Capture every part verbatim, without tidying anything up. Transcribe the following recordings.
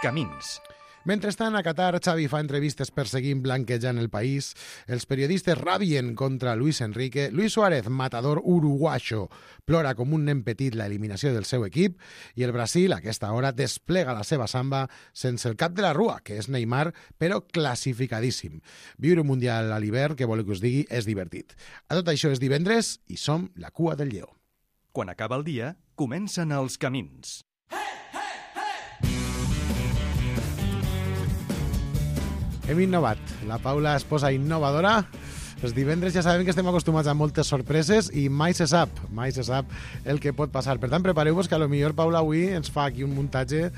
Camins. Mentrestant, a Qatar, Xavi fa entrevistes perseguint blanquejant el país, els periodistes rabien contra Luis Enrique, Luis Suárez, matador uruguayo, plora com un nen petit la eliminació del seu equip i el Brasil, a aquesta hora, desplega la seva samba sense el cap de la rua, que és Neymar, però classificadíssim. Viure un Mundial a l'hivern, que vol que us digui, és divertit. A tot això és divendres i som la cua del lleó. Quan acaba el dia, comencen els camins. Hem innovat. La Paula es posa innovadora. Els divendres ja sabem que estem acostumats a moltes sorpreses i mai se sap, mai se sap el que pot passar. Per tant, prepareu-vos que a lo millor Paula avui ens fa aquí un muntatge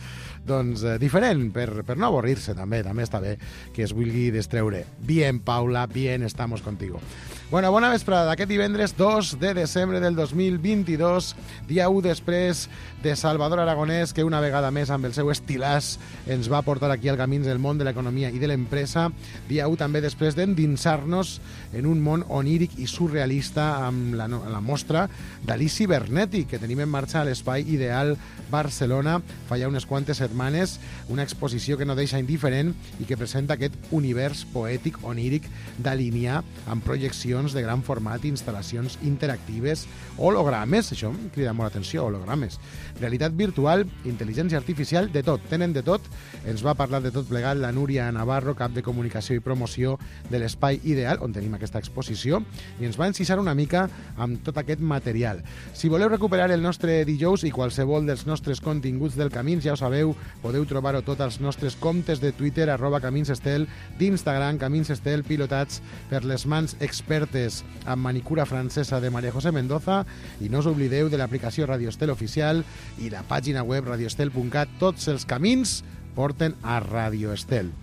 doncs, eh, diferent, per, per no avorrir-se també. També està bé que es vulgui distreure. Bien, Paula, bien, estamos contigo. Bueno, bona vesprada d'aquest divendres dos de desembre del dos mil vint-i-dos, dia u després de Salvador Aragonès, que una vegada més amb el seu estilàs ens va portar aquí al camins del món de l'economia i de l'empresa. Dia u també després d'endinsar-nos en un món oníric i surrealista amb la, la mostra d'Ali Cibernètic, que tenim en marxa a l'Espai Ideal Barcelona fa ja unes quantes setmanes, una exposició que no deixa indiferent i que presenta aquest univers poètic oníric d'alinear amb projeccions de gran format, instal·lacions interactives, hologrames, això em crida molt l'atenció, hologrames, realitat virtual, intel·ligència artificial, de tot, tenen de tot. Ens va parlar de tot plegat la Núria Navarro, cap de comunicació i promoció de l'Espai Ideal, on tenim aquesta exposició, i ens va encisar una mica amb tot aquest material. Si voleu recuperar el nostre dijous i qualsevol dels nostres continguts del Camins, ja ho sabeu, podeu trobar-ho tot als nostres comptes de Twitter, arroba Caminsestel, d'Instagram, Caminsestel, pilotats per les mans expertes amb manicura francesa de María José Mendoza, i no us oblideu de l'aplicació Radio Estel oficial i la pàgina web radioestel punt cat. Tots els camins porten a Radio Estel.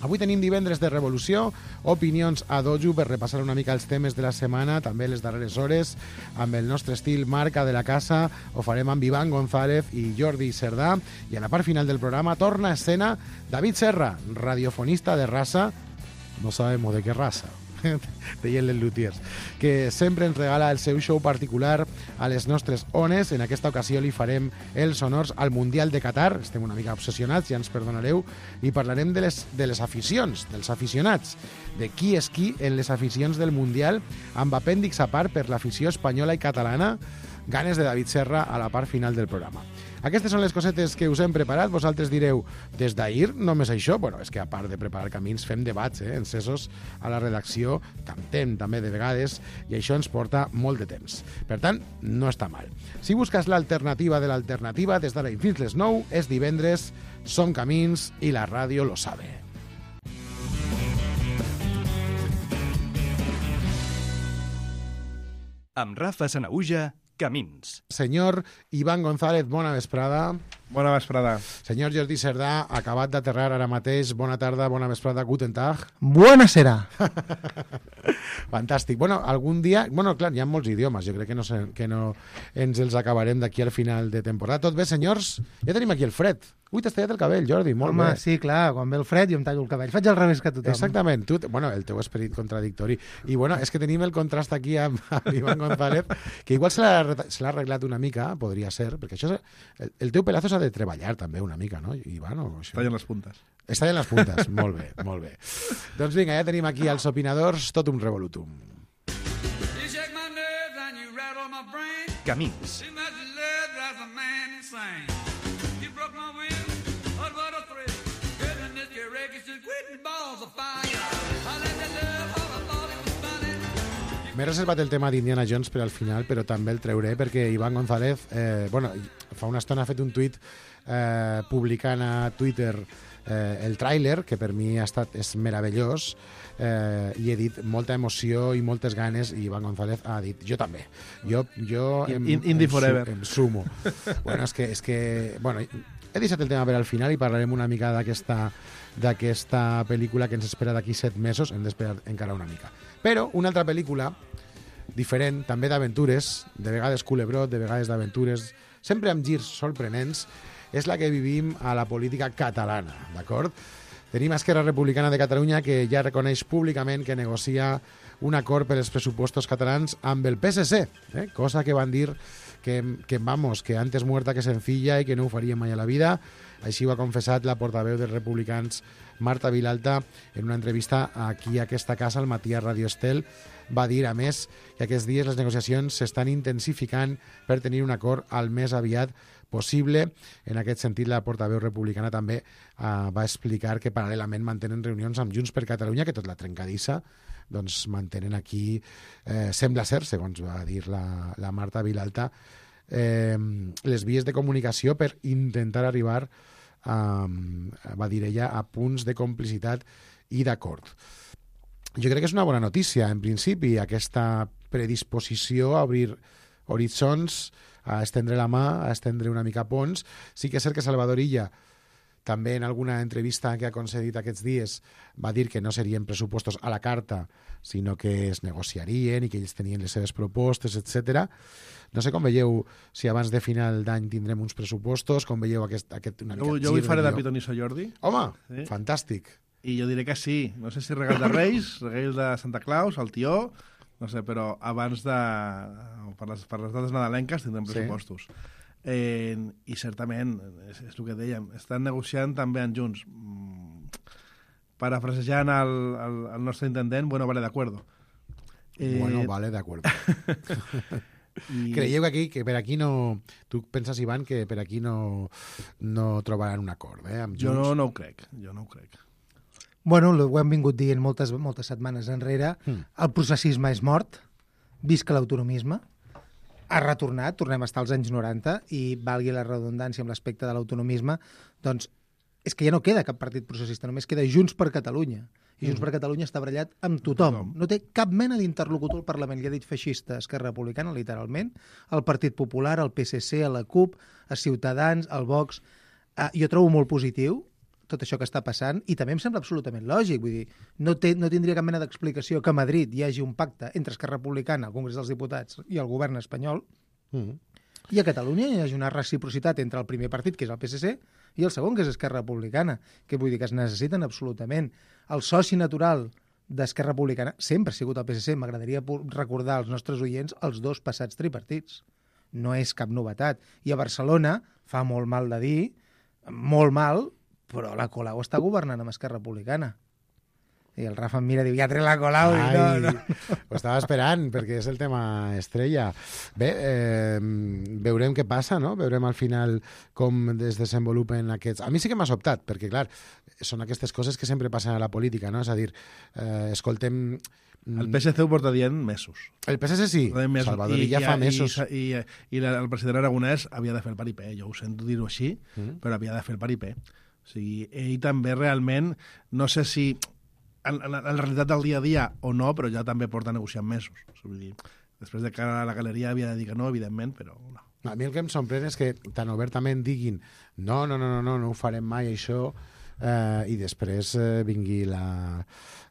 Avui tenim divendres de revolució, opinions a dojo per repassar una mica els temes de la setmana, també les darreres hores, amb el nostre estil marca de la casa. Ho farem amb Iván González i Jordi Cerdà, i a la part final del programa torna a escena David Serra, radiofonista de raza, no sabemos de qué raza, deien les lutiers, que sempre ens regala el seu show particular a les nostres ones. En aquesta ocasió li farem els honors al Mundial de Qatar. Estem una mica obsessionats, ja ens perdonareu, i parlarem de les, de les aficions, dels aficionats, de qui és qui en les aficions del Mundial, amb apèndix a part per l'afició espanyola i catalana. Ganes de David Serra a la part final del programa. Aquestes són les cosetes que us hem preparat. Vosaltres direu, des d'ahir només això? Bueno, és que a part de preparar camins fem debats, eh, encesos a la redacció, cantem també de vegades, i això ens porta molt de temps. Per tant, no està mal. Si busques l'alternativa de l'alternativa, des d'ara i fins les nou, és divendres, són camins i la ràdio lo sabe. Amb Rafa Sanaüja, Camins. Senyor Iván González, bona vesprada. Bona vesprada. Senyor Jordi Cerdà, acabat d'aterrar ara mateix. Bona tarda, bona vesprada, guten tag. Buonasera. Fantàstic. Bueno, algun dia... Bueno, clar, hi ha molts idiomes. Jo crec que no, sé, que no ens els acabarem d'aquí al final de temporada. Tot bé, senyors? Ja tenim aquí el fred. Ui, t'has tallat el cabell, Jordi, molt Home, bé. sí, clar, quan ve el fred jo em tallo el cabell. Faig al revés que tothom. Exactament. Tu, bueno, el teu esperit contradictori. I bueno, és que tenim el contrast aquí amb, amb Iván González, que igual se l'ha arreglat una mica, podria ser, perquè això... El, el teu pelazo s'ha de treballar també una mica, no, Iván? O això? Tallen les puntes. Està en les puntes, molt bé, molt bé. Doncs vinga, ja tenim aquí els opinadors, tot un revolutum. Camins. M'he reservat el tema d'Indiana Jones per al final, però també el treuré perquè Iván González, eh, bueno, fa una estona ha fet un tuit eh, publicant a Twitter eh, el tràiler, que per mi ha estat, és meravellós, eh, i he dit molta emoció i moltes ganes, i Iván González ha dit, jo també. Jo, jo em, In, indie em, forever. Em sumo. Bueno, és que, és que, bueno, he deixat el tema per al final i parlarem una mica d'aquesta d'aquesta pel·lícula que ens espera d'aquí set mesos. Hem d'esperar encara una mica. Però una altra pel·lícula diferent, també d'aventures, de vegades culebrot, de vegades d'aventures, sempre amb girs sorprenents, és la que vivim a la política catalana, d'acord? Tenim Esquerra Republicana de Catalunya, que ja reconeix públicament que negocia un acord per als pressupostos catalans amb el P S C, eh? Cosa que van dir que, que, vamos, que antes muerta que sencilla i que no ho faria mai a la vida. Així ho ha confessat la portaveu dels republicans Marta Vilalta en una entrevista aquí a aquesta casa al matí a Radio Estel. Va dir, a més, que aquests dies les negociacions s'estan intensificant per tenir un acord al més aviat possible. En aquest sentit, la portaveu republicana també eh, va explicar que paral·lelament mantenen reunions amb Junts per Catalunya, que tot la trencadissa, doncs mantenen aquí, eh, sembla ser, segons va dir la, la Marta Vilalta, eh, les vies de comunicació per intentar arribar, eh, va dir ella, a punts de complicitat i d'acord. Jo crec que és una bona notícia, en principi, aquesta predisposició a obrir horitzons, a estendre la mà, a estendre una mica ponts. Sí que és cert que Salvador Illa, també en alguna entrevista que ha concedit aquests dies, va dir que no serien pressupostos a la carta, sinó que es negociarien i que ells tenien les seves propostes, etcètera. No sé com veieu si abans de final d'any tindrem uns pressupostos, com veieu aquest, aquest una mica Jo, jo vull faré de pitonisso Jordi. Home, Sí. fantàstic. I jo diré que sí. No sé si regal de Reis, regal de Santa Claus, el tió, no sé, però abans de... Per les, per les dates nadalenques tindrem pressupostos. Sí. Eh, I certament, és, és el que dèiem, estan negociant també en Junts. Mm, parafrasejant el, el, el nostre intendent, bueno, vale, de acuerdo. Eh... Bueno, vale, de acuerdo. I... Creieu que aquí, que per aquí no... Tu penses, Ivan, que per aquí no, no trobaran un acord, eh, amb Junts? Jo no, no ho crec, jo no ho crec. Bueno, ho hem vingut dient moltes, moltes setmanes enrere. Mm. El processisme és mort, visca l'autonomisme, ha retornat, tornem a estar als anys noranta, i valgui la redundància amb l'aspecte de l'autonomisme, doncs és que ja no queda cap partit processista, només queda Junts per Catalunya. I Junts mm. per Catalunya està barallat amb tothom. No té cap mena d'interlocutor al Parlament. Li ha dit feixista a Esquerra Republicana, literalment, al Partit Popular, al P S C, a la CUP, a Ciutadans, al Vox. Uh, jo trobo molt positiu tot això que està passant, i també em sembla absolutament lògic. Vull dir, no, té, no tindria cap mena d'explicació que a Madrid hi hagi un pacte entre Esquerra Republicana, el Congrés dels Diputats i el govern espanyol, mm. i a Catalunya hi hagi una reciprocitat entre el primer partit, que és el P S C, i el segon, que és Esquerra Republicana, que vull dir que es necessiten absolutament. El soci natural d'Esquerra Republicana sempre ha sigut el P S C. M'agradaria recordar als nostres oients els dos passats tripartits. No és cap novetat. I a Barcelona, fa molt mal de dir, molt mal, però la Colau està governant amb Esquerra Republicana. I el Rafa em mira i diu, ja trec la Colau. Ai, I no, no. Ho estava esperant, perquè és el tema estrella. Bé, eh, veurem què passa, no? Veurem al final com es desenvolupen aquests... A mi sí que m'ha sobtat, perquè, clar, són aquestes coses que sempre passen a la política, no? És a dir, eh, escoltem... El P S C ho porta dient mesos. El P S C sí, mesos. Salvador Illa ja fa mesos. I, i, i el president Aragonès havia de fer el paripé, jo ho sento dir-ho així, mm. però havia de fer el paripé. O sigui, ell també realment, no sé si en, en, en la realitat del dia a dia o no, però ja també porta negociant mesos. O sigui, després de cara a la galeria havia de dir que no, evidentment, però no. A mi el que em sorprèn és que tan obertament diguin no, no, no, no, no, no ho farem mai, això, eh, i després eh, vingui la,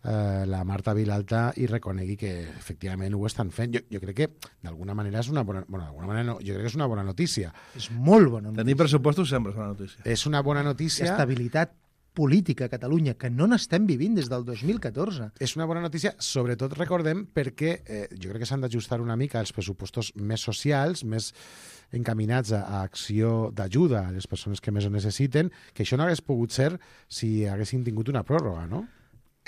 eh, la Marta Vilalta i reconegui que efectivament ho estan fent. Jo, jo crec que d'alguna manera és una bona... Bueno, d'alguna manera no, jo crec que és una bona notícia. És molt bona notícia. Tenir pressupostos sempre és bona notícia. És una bona notícia. Estabilitat política a Catalunya, que no n'estem vivint des del dos mil catorze. És una bona notícia, sobretot recordem perquè eh, jo crec que s'han d'ajustar una mica els pressupostos més socials, més encaminats a, a acció d'ajuda a les persones que més ho necessiten, que això no hagués pogut ser si haguessin tingut una pròrroga, no?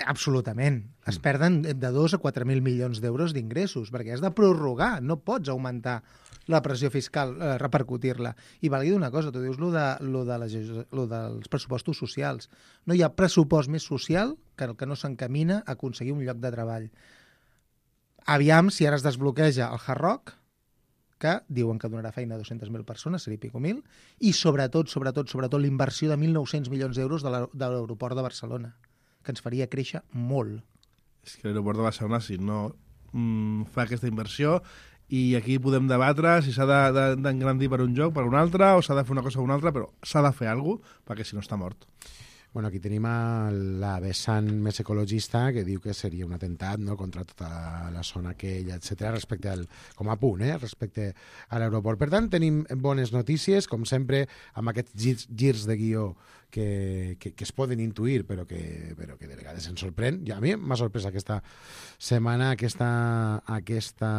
Absolutament. Es perden de dos a quatre mil milions d'euros d'ingressos, perquè has de prorrogar, no pots augmentar la pressió fiscal, eh, repercutir-la. I valgui una cosa, tu dius lo, de, lo, de les, lo dels pressupostos socials. No hi ha pressupost més social que el que no s'encamina a aconseguir un lloc de treball. Aviam si ara es desbloqueja el Hard Rock, que diuen que donarà feina a dues-centes mil persones, seria pico mil, i sobretot, sobretot, sobretot l'inversió de mil nou-cents milions d'euros de l'aeroport de Barcelona, que ens faria créixer molt. És que l'aeroport de Barcelona, si no mm, fa aquesta inversió, i aquí podem debatre si s'ha d'engrandir per un joc, per un altre, o s'ha de fer una cosa o una altra, però s'ha de fer alguna cosa, perquè si no està mort. Bueno, aquí tenim a la vessant més ecologista que diu que seria un atemptat, no?, contra tota la zona aquella, etcètera, respecte al, com a punt, eh?, respecte a l'aeroport. Per tant, tenim bones notícies, com sempre, amb aquests girs, girs de guió que, que, que es poden intuir, però que, però que de vegades ens sorprèn. I a mi m'ha sorprès aquesta setmana aquesta, aquesta,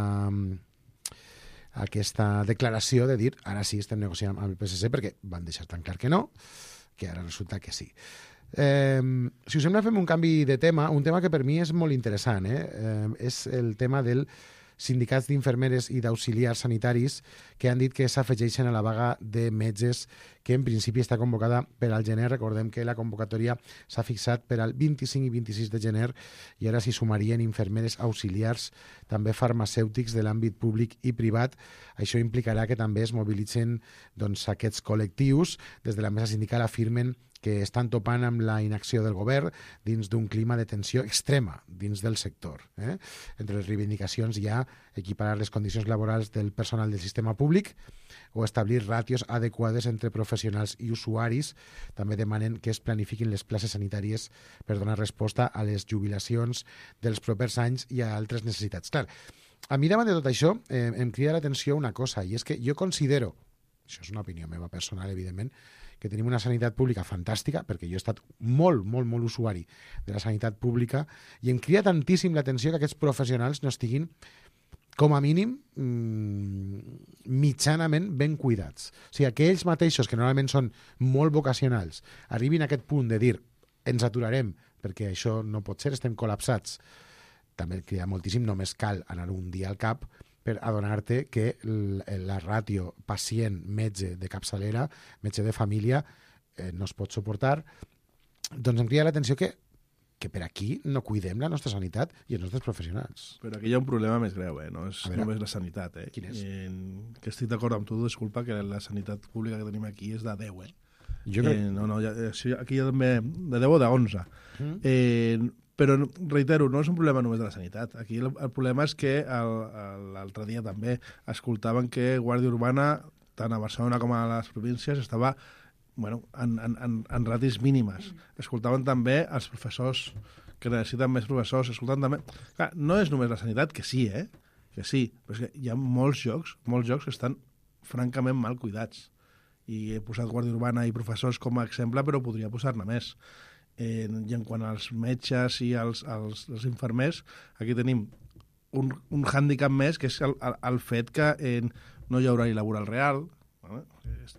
aquesta declaració de dir ara sí estem negociant amb el P S C, perquè van deixar tan clar que no. que ara resulta que sí. Eh, si us sembla, fem un canvi de tema, un tema que per mi és molt interessant, eh? Eh, és el tema del sindicats d'infermeres i d'auxiliars sanitaris que han dit que s'afegeixen a la vaga de metges que en principi està convocada per al gener. Recordem que la convocatòria s'ha fixat per al vint-i-cinc i vint-i-sis de gener i ara s'hi sumarien infermeres auxiliars, també farmacèutics de l'àmbit públic i privat. Això implicarà que també es mobilitzen doncs, aquests col·lectius. Des de la mesa sindical afirmen que estan topant amb la inacció del govern dins d'un clima de tensió extrema dins del sector. Eh? Entre les reivindicacions hi ha equiparar les condicions laborals del personal del sistema públic o establir ràtios adequades entre professionals i usuaris. També demanen que es planifiquin les places sanitàries per donar resposta a les jubilacions dels propers anys i a altres necessitats. Clar, a mi davant de tot això eh, em crida l'atenció una cosa, i és que jo considero, això és una opinió meva personal, evidentment, que tenim una sanitat pública fantàstica, perquè jo he estat molt, molt, molt usuari de la sanitat pública, i em crida tantíssim l'atenció que aquests professionals no estiguin, com a mínim, mmm, mitjanament ben cuidats. O sigui, que ells mateixos, que normalment són molt vocacionals, arribin a aquest punt de dir ens aturarem perquè això no pot ser, estem col·lapsats. També crida moltíssim, només cal anar un dia al cap per adonar-te que la ràtio pacient-metge de capçalera, metge de família, eh, no es pot suportar. Doncs em crida l'atenció que, que per aquí no cuidem la nostra sanitat i els nostres professionals. Però aquí hi ha un problema més greu, eh? No és només la sanitat. Eh? Quin és? En, que estic d'acord amb tu, disculpa, que la sanitat pública que tenim aquí és de deu, eh? Jo crec... eh no, no, ja, aquí hi ha també de deu o d'onze. Mm. Eh, Però, reitero, no és un problema només de la sanitat. Aquí el, el problema és que l'altre dia també escoltaven que Guàrdia Urbana, tant a Barcelona com a les províncies, estava bueno, en, en, en, en ratis mínimes. Escoltaven també els professors que necessiten més professors. Escoltaven també... Clar, no és només la sanitat, que sí, eh? Que sí, però és que hi ha molts jocs, molts jocs que estan francament mal cuidats. I he posat Guàrdia Urbana i professors com a exemple, però podria posar-ne més. Eh, I en quant als metges i als, als, als infermers, aquí tenim un, un hàndicap més, que és el, el, el fet que eh, no hi ha horari laboral real, eh?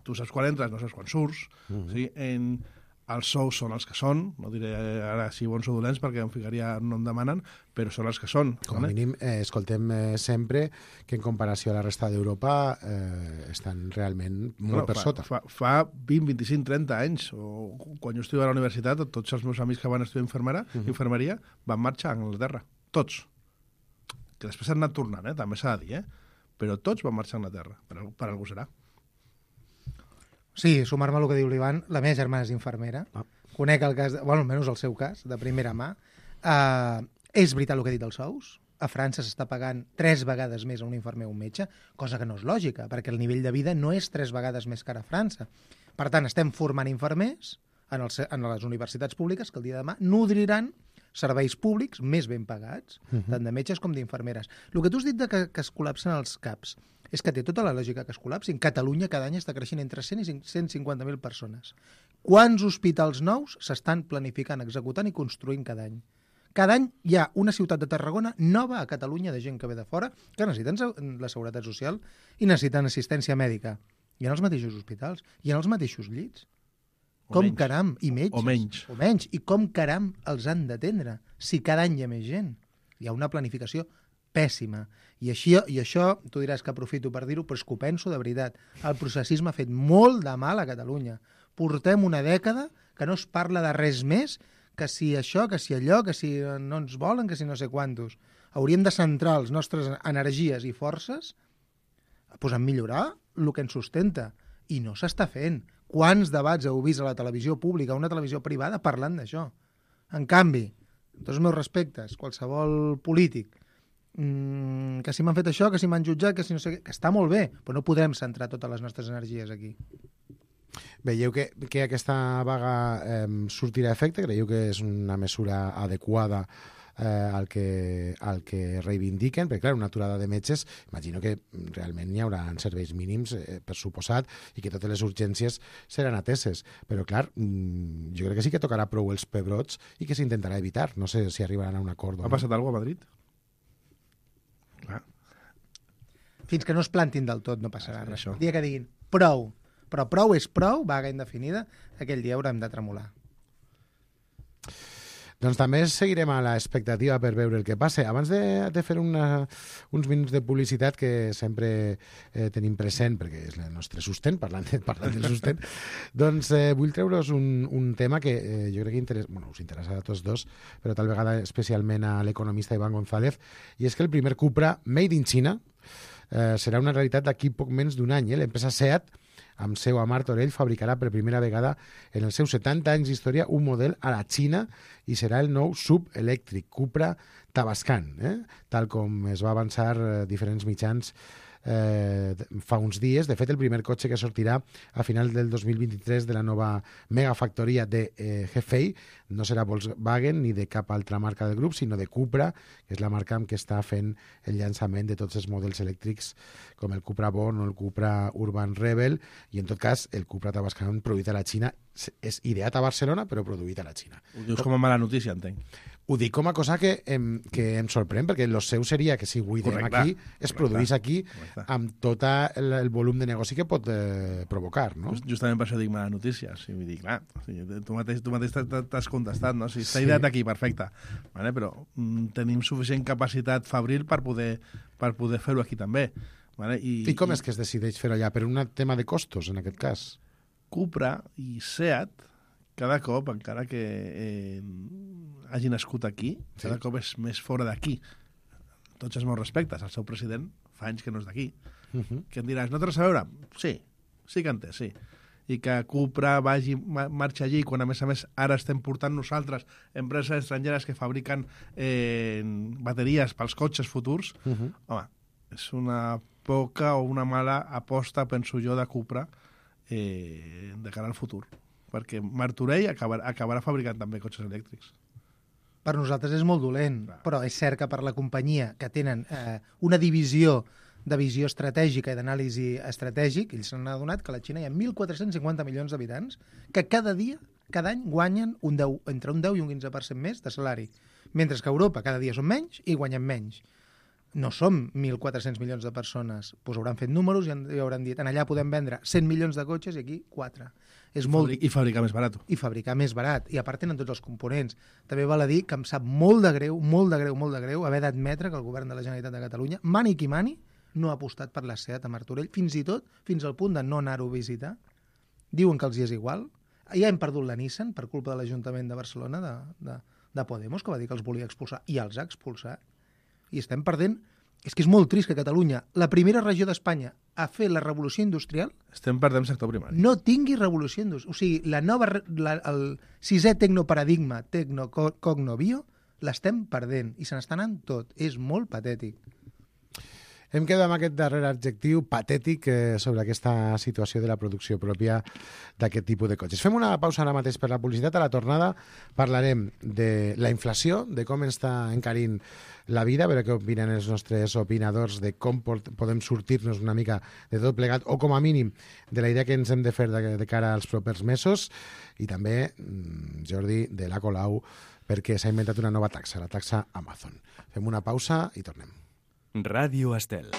Tu saps quan entres, no saps quan surts, mm-hmm. sí? en, els sous són els que són, no diré ara si bons o dolents perquè em ficaria no em demanen, però són els que són. Com a vale? mínim, eh, escoltem eh, sempre que en comparació a la resta d'Europa eh, estan realment molt no, per fa, sota. Fa, fa vint, vint-i-cinc, trenta anys, o quan jo estudiava a la universitat, tots els meus amics que van estudiar infermera, uh-huh. infermeria van marxar a Anglaterra. Tots. Que després han anat tornant, eh? També s'ha de dir, eh? Però tots van marxar a Anglaterra. Per, per algú serà. Sí, sumar-me al que diu l'Ivan, la meva germana és infermera, ah. conec el cas, de, bueno, almenys el seu cas, de primera mà. Uh, és veritat el que ha dit dels sous. A França s'està pagant tres vegades més a un infermer o un metge, cosa que no és lògica, perquè el nivell de vida no és tres vegades més car a França. Per tant, estem formant infermers en, el, en les universitats públiques que el dia de demà nodriran serveis públics més ben pagats, uh-huh. tant de metges com d'infermeres. El que tu has dit de que, que es col·lapsen els CAPs és que té tota la lògica que es col·lapsin. Catalunya cada any està creixent entre cent i cent cinquanta mil persones. Quants hospitals nous s'estan planificant, executant i construint cada any? Cada any hi ha una ciutat de Tarragona nova a Catalunya de gent que ve de fora que necessiten la seguretat social i necessiten assistència mèdica. I en els mateixos hospitals, i en els mateixos llits. O com menys. caram, i metges. O menys. O menys. I com caram els han d'atendre si cada any hi ha més gent? Hi ha una planificació pèssima. I, així, I això, tu diràs que aprofito per dir-ho, però és que ho penso de veritat. El processisme ha fet molt de mal a Catalunya. Portem una dècada que no es parla de res més que si això, que si allò, que si no ens volen, que si no sé quantos. Hauríem de centrar les nostres energies i forces pues, en millorar el que ens sustenta. I no s'està fent. Quants debats heu vist a la televisió pública, a una televisió privada, parlant d'això? En canvi, tots els meus respectes, qualsevol polític, mmm, que si m'han fet això, que si m'han jutjat, que si no sé què, que està molt bé, però no podrem centrar totes les nostres energies aquí. Veieu que, que aquesta vaga eh, sortirà a efecte? Creieu que és una mesura adequada eh, al, que, al que reivindiquen? Perquè, clar, una aturada de metges, imagino que realment hi haurà serveis mínims, eh, per suposat, i que totes les urgències seran ateses. Però, clar, mm, jo crec que sí que tocarà prou els pebrots i que s'intentarà evitar. No sé si arribaran a un acord. Ha no? passat alguna cosa a Madrid? Clar. Fins que no es plantin del tot no passarà Ah, res. això. El dia que diguin prou, Però prou és prou, vaga indefinida, aquell dia haurem de tremolar. Doncs també seguirem a l'expectativa per veure el que passa. Abans de, de fer una, uns minuts de publicitat que sempre eh, tenim present, perquè és el nostre sustent, parlant, de, parlant del sustent, doncs eh, vull treure's un, un tema que eh, jo crec que interessa, bueno, us interessa a tots dos, però tal vegada especialment a l'economista Iván González, i és que el primer Cupra Made in China eh, serà una realitat d'aquí poc menys d'un any. Eh? L'empresa SEAT, amb seu a Martorell, fabricarà per primera vegada en els seus setanta anys d'història un model a la Xina i serà el nou sub elèctric Cupra Tavascan, eh? tal com es va avançar eh, diferents mitjans eh, fa uns dies. De fet, el primer cotxe que sortirà a final del dos mil vint-i-tres de la nova megafactoria de eh, Hefei no serà Volkswagen ni de cap altra marca del grup, sinó de Cupra, que és la marca amb què està fent el llançament de tots els models elèctrics com el Cupra Born o el Cupra Urban Rebel, i en tot cas el Cupra Tavascan produït a la Xina és ideat a Barcelona però produït a la Xina. Ho dius com a mala notícia, entenc. Ho dic com a cosa que em, que em sorprèn, perquè el seu seria que si ho idem aquí, es produís aquí amb tot el, el volum de negoci que pot eh, provocar, no? Just, justament per això dic mala notícia. O sigui, vull dir, clar, o sigui, tu mateix, tu mateix t'has contestat, no? O sigui, està sí. ideat aquí, perfecte. Vale? Però mm, tenim suficient capacitat fabril per poder, per poder fer-ho aquí també. Vale? I, I com i... és que es decideix fer-ho allà? Per un tema de costos, en aquest cas? Cupra i SEAT, cada cop, encara que eh, hagi nascut aquí, sí. cada cop és més fora d'aquí. Tots els meus respectes. El seu president fa anys que no és d'aquí. Uh -huh. Que em diràs, no té res a veure? Sí, sí que en té, sí. I que Cupra vagi, marxa allí, quan a més a més ara estem portant nosaltres empreses estrangeres que fabriquen eh, bateries pels cotxes futurs, uh -huh. home, és una poca o una mala aposta, penso jo, de Cupra eh, de cara al futur. Perquè Martorell acabarà, acabarà fabricant també cotxes elèctrics. Per nosaltres és molt dolent, clar. Però és cert que per la companyia que tenen eh, una divisió de visió estratègica i d'anàlisi estratègic, ells s'han adonat que a la Xina hi ha mil quatre-cents cinquanta milions d'habitants que cada dia, cada any, guanyen un deu, entre un deu i un quinze per cent més de salari, mentre que a Europa cada dia són menys i guanyen menys. No som mil quatre-cents milions de persones, doncs hauran fet números i hauran dit, en allà podem vendre cent milions de cotxes i aquí quatre. És I, molt... fabric, I fabricar més barat. I fabricar més barat. I a part tenen tots els components. També val a dir que em sap molt de greu, molt de greu, molt de greu haver d'admetre que el govern de la Generalitat de Catalunya, mani qui mani, no ha apostat per la SEAT a Martorell, fins i tot fins al punt de no anar-ho a visitar. Diuen que els hi és igual. Ja hem perdut la Nissan per culpa de l'Ajuntament de Barcelona, de, de, de Podemos, que va dir que els volia expulsar, i els ha expulsat. I estem perdent... És que és molt trist que Catalunya, la primera regió d'Espanya a fer la revolució industrial... Estem perdent sector primari. No tingui revolució industrial. O sigui, la nova, la, el sisè tecnoparadigma, tecnocognovio, l'estem perdent i se n'està anant tot. És molt patètic. Hem quedat amb aquest darrer adjectiu patètic eh, sobre aquesta situació de la producció pròpia d'aquest tipus de cotxes. Fem una pausa ara mateix per la publicitat. A la tornada parlarem de la inflació, de com està encarint la vida, a veure què opinen els nostres opinadors de com podem sortir-nos una mica de tot plegat, o com a mínim de la idea que ens hem de fer de, de cara als propers mesos, i també, Jordi, de la Colau, perquè s'ha inventat una nova taxa, la taxa Amazon. Fem una pausa i tornem. Ràdio Estel.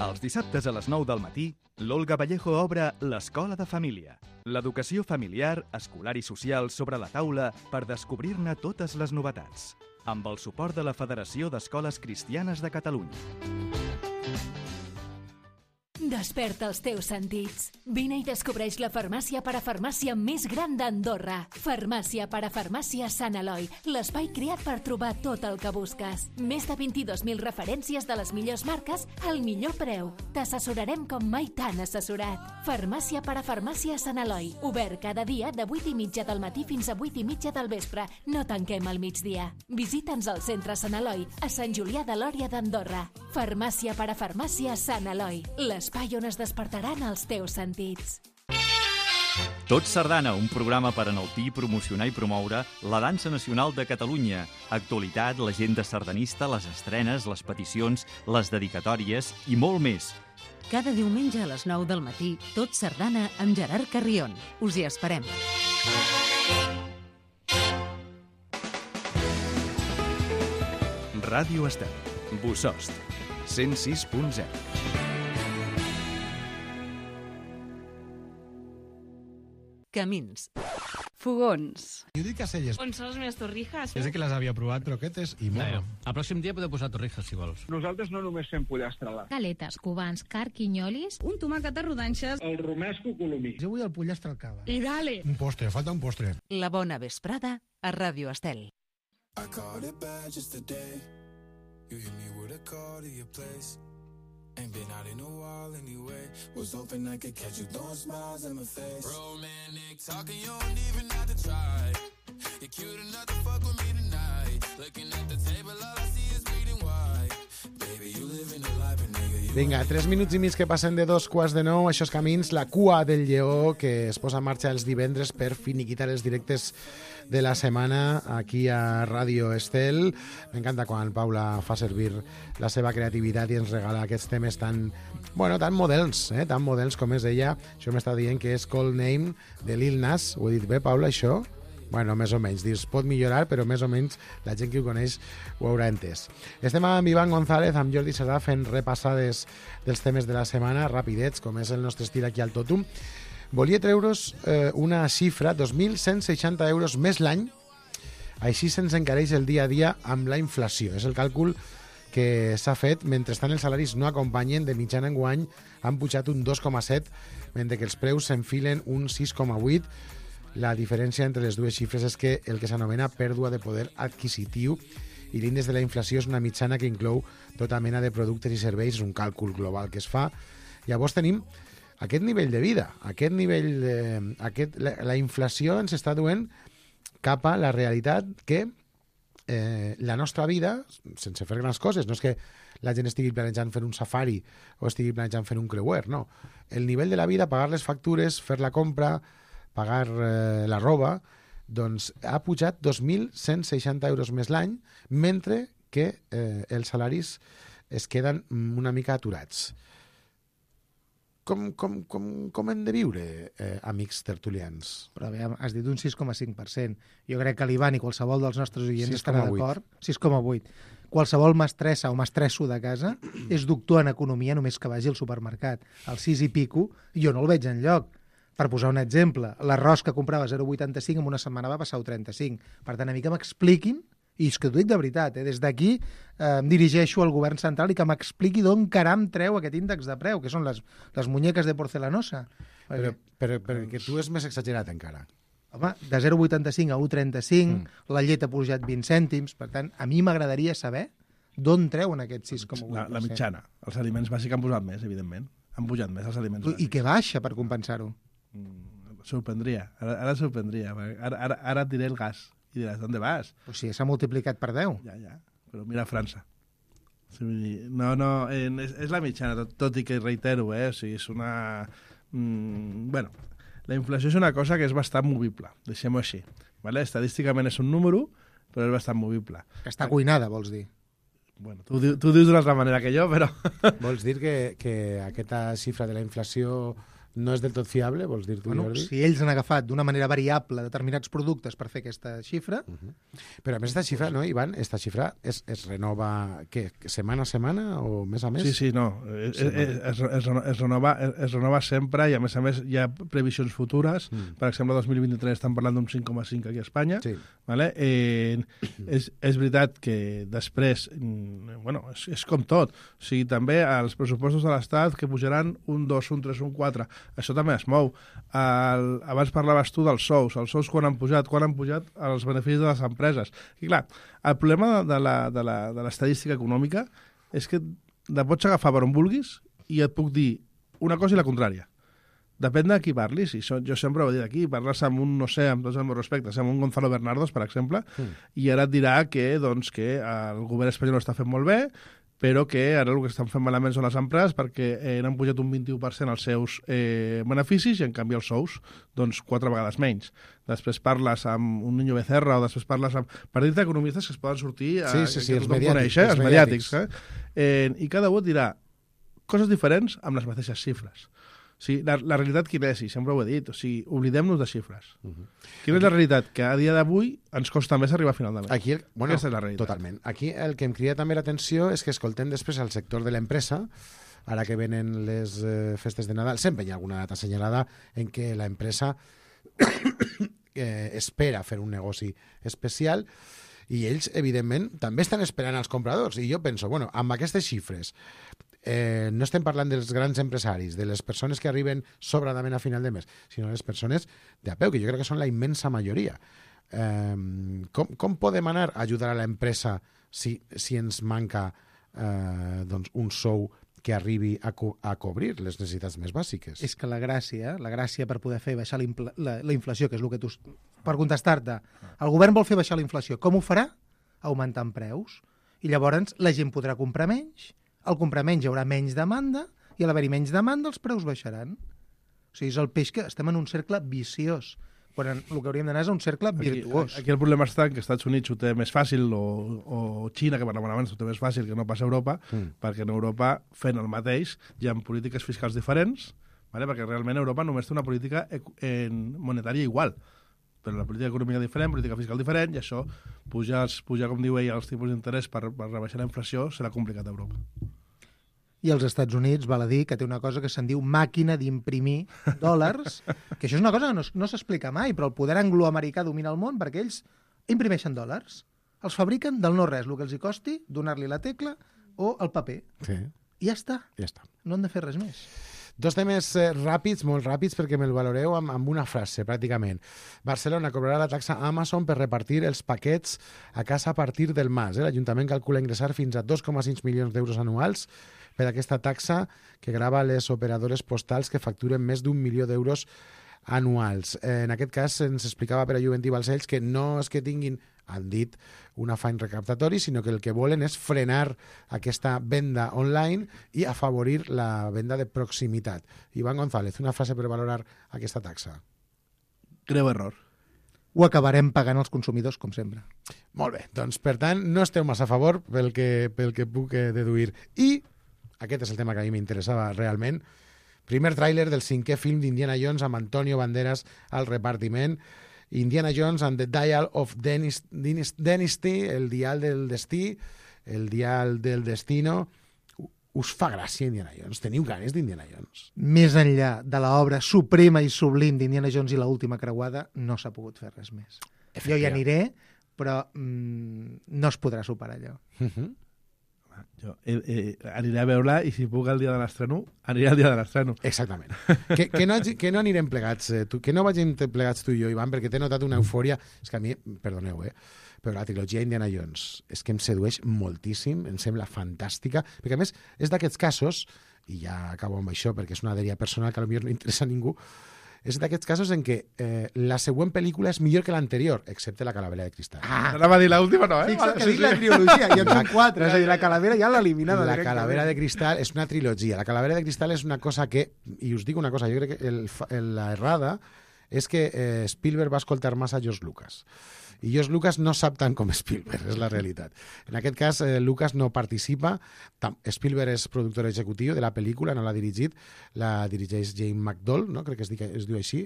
Els dissabtes a les nou del matí, l'Olga Vallejo obre l'Escola de Família. L'educació familiar, escolar i social sobre la taula per descobrir-ne totes les novetats. Amb el suport de la Federació d'Escoles Cristianes de Catalunya. Desperta els teus sentits. Vine i descobreix la farmàcia parafarmàcia més gran d'Andorra. Farmàcia parafarmàcia Sant Eloi, l'espai creat per trobar tot el que busques. Més de vint-i-dos mil referències de les millors marques al millor preu. T'assessorarem com mai t'han assessorat. Farmàcia parafarmàcia Sant Eloi, obert cada dia de vuit i mitja del matí fins a vuit i mitja del vespre. No tanquem al migdia. Visita'ns al centre Sant Eloi, a Sant Julià de Lòria d'Andorra. Farmàcia parafarmàcia Sant Eloi, l'espai on es despertaran els teus sentits. Tot Sardana, un programa per enaltir, promocionar i promoure la dansa nacional de Catalunya. Actualitat, l'agenda sardanista, les estrenes, les peticions, les dedicatòries i molt més. Cada diumenge a les nou del matí, Tot Sardana amb Gerard Carrion. Us hi esperem. Ràdio Estel. Bossòst. cent sis punt zero. Camins. Fogons. Jo dic Caselles. On són les meves torrijas? Jo sé que les havia provat, croquetes i morro. El pròxim dia podeu posar torrijas, si vols. Nosaltres no només fem pollastre. Galetes, cubans, carquinyolis... Un tomàquet a rodanxes. El romesco colomí. Jo vull el pollastre al cava. I dale! Un postre, falta un postre. La bona vesprada a Ràdio Estel. I caught it bad just today. You hit me with a call to your place. Ain't been out in a while anyway. Was hoping I could catch you throwing smiles in my face. Romantic talking, you don't even have to try. You're cute enough to fuck with me tonight. Looking at the table, all I see is bleeding white. Baby, you living a life, and nigga, you... Vinga, tres minuts i mig que passen de dos quarts de nou. Això és Camins, la cua del lleó que es posa en marxa els divendres per finiquitar els directes de la setmana aquí a Ràdio Estel. M'encanta quan Paula fa servir la seva creativitat i ens regala aquests temes tan, bueno, tan moderns, eh? tan moderns com és ella. Això m'està dient que és Cold Name de Lil Nas. Ho he dit bé, Paula, això? Bueno, més o menys. Dius, pot millorar, però més o menys la gent que ho coneix ho haurà entès. Estem amb Iván González, amb Jordi Cerdà, fent repassades dels temes de la setmana, rapidets, com és el nostre estil aquí al Totum. Volia treure's eh, una xifra, dos mil cent seixanta euros més l'any, així se'ns encareix el dia a dia amb la inflació. És el càlcul que s'ha fet, mentrestant els salaris no acompanyen, de mitjana enguany han pujat un dos coma set, mentre que els preus s'enfilen un sis coma vuit. La diferència entre les dues xifres és que el que s'anomena pèrdua de poder adquisitiu i l'índex de la inflació és una mitjana que inclou tota mena de productes i serveis, és un càlcul global que es fa. Llavors tenim aquest nivell de vida, aquest nivell de, aquest, la, la inflació ens està duent cap a la realitat que eh, la nostra vida, sense fer grans coses, no és que la gent estigui planejant fer un safari o estigui planejant fer un creuer, no. El nivell de la vida, pagar les factures, fer la compra, pagar eh, la roba, doncs ha pujat dos mil cent seixanta euros més l'any, mentre que eh, els salaris es queden una mica aturats. Com, com, com, com hem de viure, eh, amics tertulians? Però bé, has dit un sis coma cinc per cent. Jo crec que l'Ivan i qualsevol dels nostres oients estarà d'acord. sis coma vuit. Qualsevol mestressa o mestresso de casa és doctor en economia només que vagi al supermercat. Al sis i pico jo no el veig enlloc. Per posar un exemple, l'arròs que comprava zero coma vuitanta-cinc en una setmana va passar a trenta-cinc. Per tant, a mi que m'expliquin, i és que t'ho dic de veritat, eh, des d'aquí eh, em dirigeixo al govern central i que m'expliqui d'on caram treu aquest índex de preu, que són les, les muñeques de porcelanosa. Però, però, perquè tu és més exagerat encara. Home, de zero coma vuitanta-cinc a un coma trenta-cinc, mm. la llet ha pujat vint cèntims, per tant, a mi m'agradaria saber d'on treuen aquest sis coma vuit per cent. La, la mitjana. Els aliments bàsics han pujat més, evidentment. Han pujat més els aliments bàsics. I què baixa per compensar-ho? Mm, sorprendria, ara, ara sorprendria. Ara, ara, ara et diré el gas i diràs, ¿dónde vas? Pues sí, s'ha multiplicat per deu. Ja, ja, però mira França. No, no, eh, és, és la mitjana, tot, tot i que reitero, eh? O sigui, és una... Mm, bueno, la inflació és una cosa que és bastant movible, deixem-ho així. Vale? Estadísticament és un número, però és bastant movible. Que està cuinada, vols dir? Bueno, tu, tu dius d'una altra manera que jo, però... Vols dir que, que aquesta xifra de la inflació no és del tot fiable, vols dir tu, bueno, Jordi? Si ells han agafat d'una manera variable determinats productes per fer aquesta xifra... Uh -huh. Però a més aquesta xifra, no, Ivan, esta xifra es, es renova, què, setmana a setmana o mes a mes? Sí, sí, no, es, es, es, es, es, renova, es, es renova sempre i a més a més hi ha previsions futures, mm. per exemple, el dos mil vint-i-tres estan parlant d'un cinc coma cinc aquí a Espanya, sí. Vale? Eh, és, és veritat que després, bueno, és, és com tot, o sigui, també els pressupostos de l'Estat que pujaran un dos, un tres, un quatre, això també es mou. El, abans parlaves tu dels sous. Els sous quan han pujat? Quan han pujat els beneficis de les empreses? I clar, el problema de, la, de, la, de l'estadística econòmica és que la pots agafar per on vulguis i et puc dir una cosa i la contrària. Depèn de qui parlis. I so, jo sempre ho he dit aquí. Parles amb un, no sé, amb tots els meus respectes, amb un Gonzalo Bernardos, per exemple, mm. i ara et dirà que, doncs, que el govern espanyol ho està fent molt bé, però que ara el que estan fent malament són les empreses perquè eh, han pujat un vint-i-u per cent els seus eh, beneficis i en canvi els sous doncs quatre vegades menys. Després parles amb un Niño Becerra o després parles amb... Per dir-te economistes que es poden sortir... Sí, sí, sí, els mediàtics. Coneix, eh? Els, els mediàtics. mediàtics eh? Eh, I cada un dirà coses diferents amb les mateixes xifres. Sí, la, la realitat quina és? I sempre ho he dit. O sigui, oblidem-nos de xifres. Uh -huh. Quina és la realitat? Que a dia d'avui ens costa més arribar a final de mes. Aquí, el, bueno, Aquesta és la realitat. Totalment. Aquí el que em crida també l'atenció és que escoltem després al sector de l'empresa, ara que venen les eh, festes de Nadal, sempre hi ha alguna data assenyalada en què la empresa eh, espera fer un negoci especial i ells, evidentment, també estan esperant als compradors. I jo penso, bueno, amb aquestes xifres, eh, no estem parlant dels grans empresaris, de les persones que arriben sobradament a final de mes, sinó les persones de a peu, que jo crec que són la immensa majoria. Eh, com, com podem anar a ajudar a l'empresa si, si ens manca eh, doncs un sou que arribi a, co a cobrir les necessitats més bàsiques? És que la gràcia, la gràcia per poder fer baixar la, la, la inflació, que és el que tu... Per contestar-te, el govern vol fer baixar la inflació. Com ho farà? Augmentant preus. I llavors la gent podrà comprar menys, al comprar menys hi haurà menys demanda, i a l'haver-hi menys demanda els preus baixaran. O sigui, és el peix que estem en un cercle viciós, quan el que hauríem d'anar és un cercle virtuós. Aquí, aquí el problema està que Estats Units ho té més fàcil, o, o Xina, que parlàvem abans, ho té més fàcil que no pas a Europa, mm. perquè en Europa, fent el mateix, hi ha polítiques fiscals diferents, vale? Perquè realment Europa només té una política en monetària igual, però la política econòmica diferent, política fiscal diferent, i això, pujar, pujar com diu ell, els tipus d'interès per, per rebaixar la inflació serà complicat a Europa. I als Estats Units, val a dir, que té una cosa que se'n diu màquina d'imprimir dòlars, que això és una cosa que no, no s'explica mai, però el poder angloamericà domina el món perquè ells imprimeixen dòlars. Els fabriquen del no-res, el que els hi costi donar-li la tecla o el paper. Sí. I ja està. Ja està. No han de fer res més. Dos temes eh, ràpids, molt ràpids, perquè me'l valoreu amb, amb una frase, pràcticament. Barcelona cobrarà la taxa Amazon per repartir els paquets a casa a partir del març. Eh? L'Ajuntament calcula ingressar fins a dos coma cinc milions d'euros anuals per aquesta taxa que grava les operadores postals que facturen més d'un milió d'euros anuals. Eh, en aquest cas ens explicava per a Juventí Balcells que no és que tinguin, han dit, un afany recaptatori, sinó que el que volen és frenar aquesta venda online i afavorir la venda de proximitat. Iván González, una frase per valorar aquesta taxa. Greu error. Ho acabarem pagant els consumidors, com sempre. Molt bé, doncs per tant no esteu massa a favor pel que, pel que puc deduir. I aquest és el tema que a mi m'interessava realment. Primer tràiler del cinquè film d'Indiana Jones amb Antonio Banderas al repartiment. Indiana Jones and the Dial of Dynasty, el dial del destí, el dial del destino. Us fa gràcia Indiana Jones? Teniu ganes d'Indiana Jones? Més enllà de l'obra suprema i sublim d'Indiana Jones i l'última creuada, no s'ha pogut fer res més. Jo hi aniré, però mm, no es podrà superar allò. Uh-huh. Jo eh, eh, aniré a veure-la i si puc el dia de l'estreno, aniré al dia de l'estreno. Exactament. que, que, no, que no anirem plegats, eh, tu, que no vagin plegats tu i jo, Ivan, perquè t'he notat una eufòria. És que a mi, perdoneu, eh, però la trilogia Indiana Jones és que em sedueix moltíssim, em sembla fantàstica, perquè a més és d'aquests casos, i ja acabo amb això perquè és una dèria personal que potser no interessa a ningú, és d'aquests casos en què eh, la següent pel·lícula és millor que l'anterior, excepte La calavera de cristal. Ah, no va dir l'última, no, eh? Fixa't que dic la trilogia, i en són quatre, és a dir, la calavera ja l'ha eliminada. La calavera de cristal és una trilogia. La calavera de cristal és una cosa que, i us dic una cosa, jo crec que el, el, la errada és que eh, Spielberg va escoltar massa George Lucas. I George Lucas no sap tant com Spielberg, és la realitat. En aquest cas, eh, Lucas no participa. Spielberg és productor executiu de la pel·lícula, no l'ha dirigit. La dirigeix James McDowell, no? Crec que es, diu, es diu així.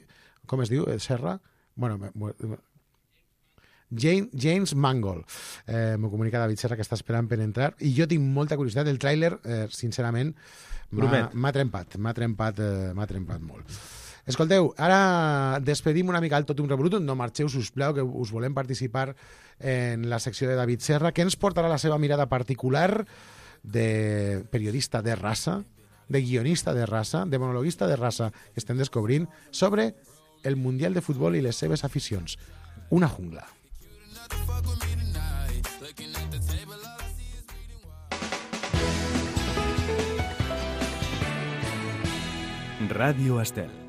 Com es diu, Serra? Bueno, James, James Mangold. Eh, M'ho comunica David Serra, que està esperant per entrar. I jo tinc molta curiositat. El tràiler, eh, sincerament, m'ha trempat. M'ha trempat, eh, m'ha trempat molt. Escolteu, ara despedim una mica el Totum Revolutum, no marxeu, sisplau, que us volem participar en la secció de David Serra, que ens portarà la seva mirada particular de periodista de raça, de guionista de raça, de monologuista de raça, que estem descobrint sobre el Mundial de Futbol i les seves aficions. Una jungla. Ràdio Estel.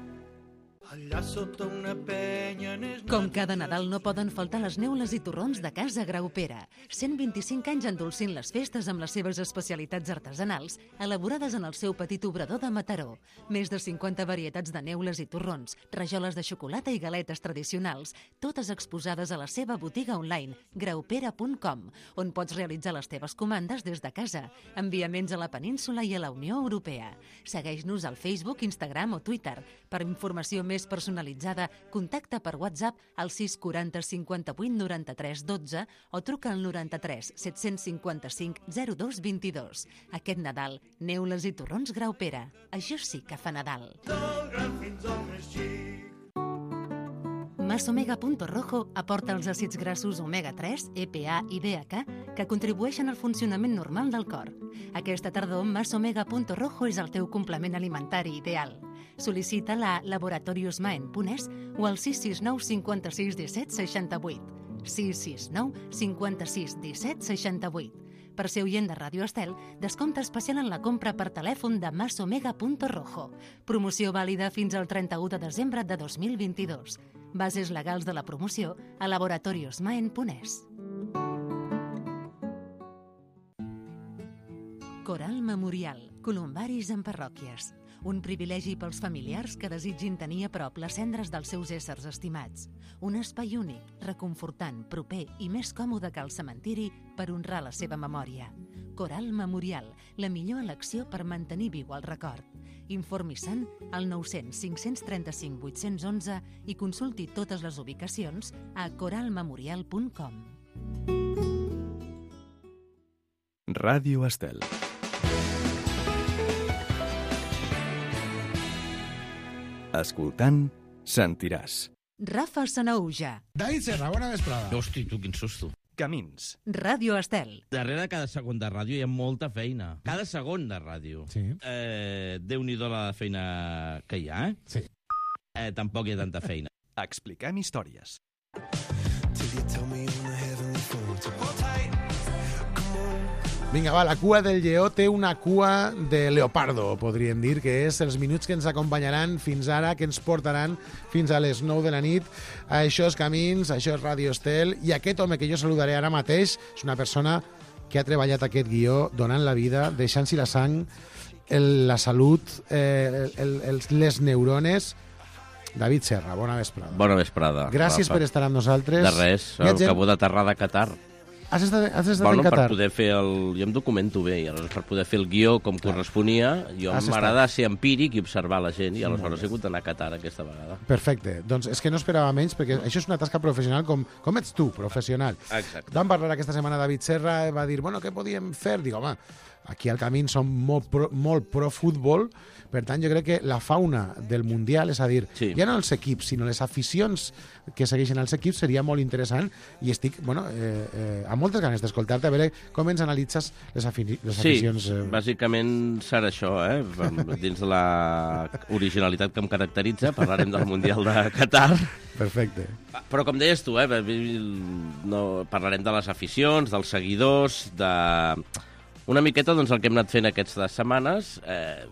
allà sota una penya... Com cada Nadal no poden faltar les neules i torrons de Casa Graupera. cent vint-i-cinc anys endolcint les festes amb les seves especialitats artesanals, elaborades en el seu petit obrador de Mataró. Més de cinquanta varietats de neules i torrons, rajoles de xocolata i galetes tradicionals, totes exposades a la seva botiga online, graupera punt com, on pots realitzar les teves comandes des de casa. Enviaments a la península i a la Unió Europea. Segueix-nos al Facebook, Instagram o Twitter. Per informació més personalitzada, contacta per WhatsApp al sis quaranta cinquanta-vuit noranta-tres dotze o truca al noranta-tres set-cents cinquanta-cinc zero dos vint-i-dos. Aquest Nadal, neules i torrons Graupera. Això sí que fa Nadal. Del gran fins al més xic. Masomega Punto Rojo aporta els àcids grassos omega tres, E P A i D H que contribueixen al funcionament normal del cor. Aquesta tardor, Masomega Punto Rojo és el teu complement alimentari ideal. Sol·licita-la a laboratoriosmaen punt es o al sis sis nou cinquanta-sis disset seixanta-vuit. sis sis nou cinquanta-sis disset seixanta-vuit. Per ser oient de Ràdio Estel, descompte especial en la compra per telèfon de Masomega Punto Rojo. Promoció vàlida fins al trenta-u de desembre de dos mil vint-i-dos. Bases legals de la promoció a laboratoriosmaen punt es. Coral Memorial, columbaris en parròquies. Un privilegi pels familiars que desitgin tenir a prop les cendres dels seus éssers estimats. Un espai únic, reconfortant, proper i més còmode que el cementiri per honrar la seva memòria. Coral Memorial, la millor elecció per mantenir viu el record. Informi-se'n al nou cents cinc cents trenta-cinc vuit-cents onze i consulti totes les ubicacions a coral memorial punt com. Ràdio Estel. Escoltant, sentiràs. Rafa Sanauja. David Serra, bona vesprada. Hosti, tu, quin susto. Camins. Ràdio Estel. Darrere de cada segon de ràdio hi ha molta feina. Cada segon de ràdio. Sí. Eh, Déu-n'hi-do la feina que hi ha, eh? Sí. Eh, tampoc hi ha tanta feina. Expliquem històries. Vinga, va, la cua del lleó té una cua de leopardo, podríem dir, que és els minuts que ens acompanyaran fins ara, que ens portaran fins a les nou de la nit. Això és Camins, això és Ràdio Estel, i aquest home que jo saludaré ara mateix és una persona que ha treballat aquest guió donant la vida, deixant-s'hi la sang, el, la salut, eh, el, el, les neurones. David Serra, bona vesprada. Bona vesprada. Gràcies Rafa. per estar amb nosaltres. De res, acabo d'aterrar de Qatar. Has estat, has estat bueno, en Qatar? Per poder fer el... Jo em documento bé, i aleshores per poder fer el guió com Clar. corresponia, jo m'agrada ser empíric i observar la gent, i aleshores he hagut d'anar a Qatar aquesta vegada. Perfecte. Doncs és que no esperava menys, perquè això és una tasca professional com, com ets tu, professional. Exacte. Vam parlar aquesta setmana David Serra, va dir, bueno, què podíem fer? Dic, home, aquí al Camí som molt pro, molt pro futbol, per tant jo crec que la fauna del Mundial, és a dir, sí. ja no els equips, sinó les aficions que segueixen els equips, seria molt interessant, i estic, bueno, eh, eh, amb moltes ganes d'escoltar-te, a veure com ens analitzes les, afi les sí, aficions. Sí, eh... bàsicament serà això, eh? Dins de la originalitat que em caracteritza, parlarem del Mundial de Qatar. Perfecte. Però com deies tu, eh? no, parlarem de les aficions, dels seguidors, de... Una miqueta doncs, el que hem anat fent aquestes setmanes, eh,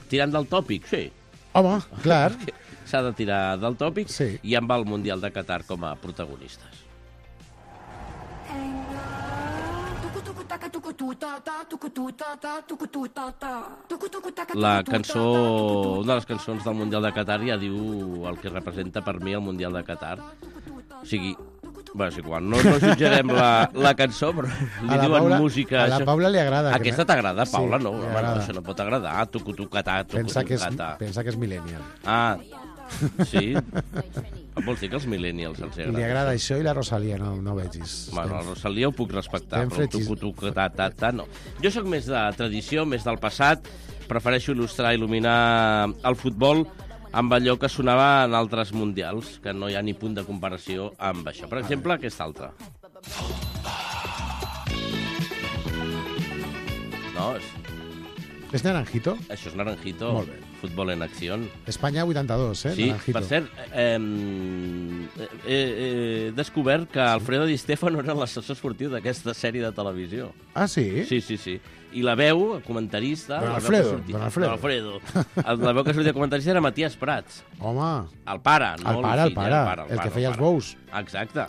tirant del tòpic, sí. Home, clar. S'ha de tirar del tòpic, sí. I amb el Mundial de Qatar com a protagonistes. La cançó, una de les cançons del Mundial de Qatar ja diu el que representa per mi el Mundial de Qatar. O sigui, bueno, és igual, no, no jutjarem la, la cançó, però li diuen Paula, música... A la això... Paula li agrada. Aquesta t'agrada, Paula? Sí, no, home, no, això no pot agradar. Tucu, tu, catà, tucu, pensa, tu, que és, catà. pensa que és millennial. Ah, sí? Vols dir que els millennials els agrada? Li agrada això, això i la Rosalia, no, no vegis. Bueno, la Rosalia ho puc respectar, però el tucu, tu, catà, catà, no. Jo sóc més de tradició, més del passat, prefereixo il·lustrar, il·luminar el futbol amb allò que sonava en altres mundials, que no hi ha ni punt de comparació amb això. Per exemple, aquesta altra. No, és... És Naranjito? Això és Naranjito. Molt bé. Futbol en acció. Espanya vuitanta-dos, eh? Sí, Naranjito. per cert, eh, eh, he descobert que Alfredo Di Stefano era l'assessor esportiu d'aquesta sèrie de televisió. Ah, sí? Sí, sí, sí. I la veu, el comentarista... Don la Alfredo, veu que sortia- Don Alfredo. Don Alfredo. El- La veu que sortia de comentarista era Matías Prats. Home, El pare, no el pare, el fill, eh? pare, pare, el que pare, feia el els bous. Exacte.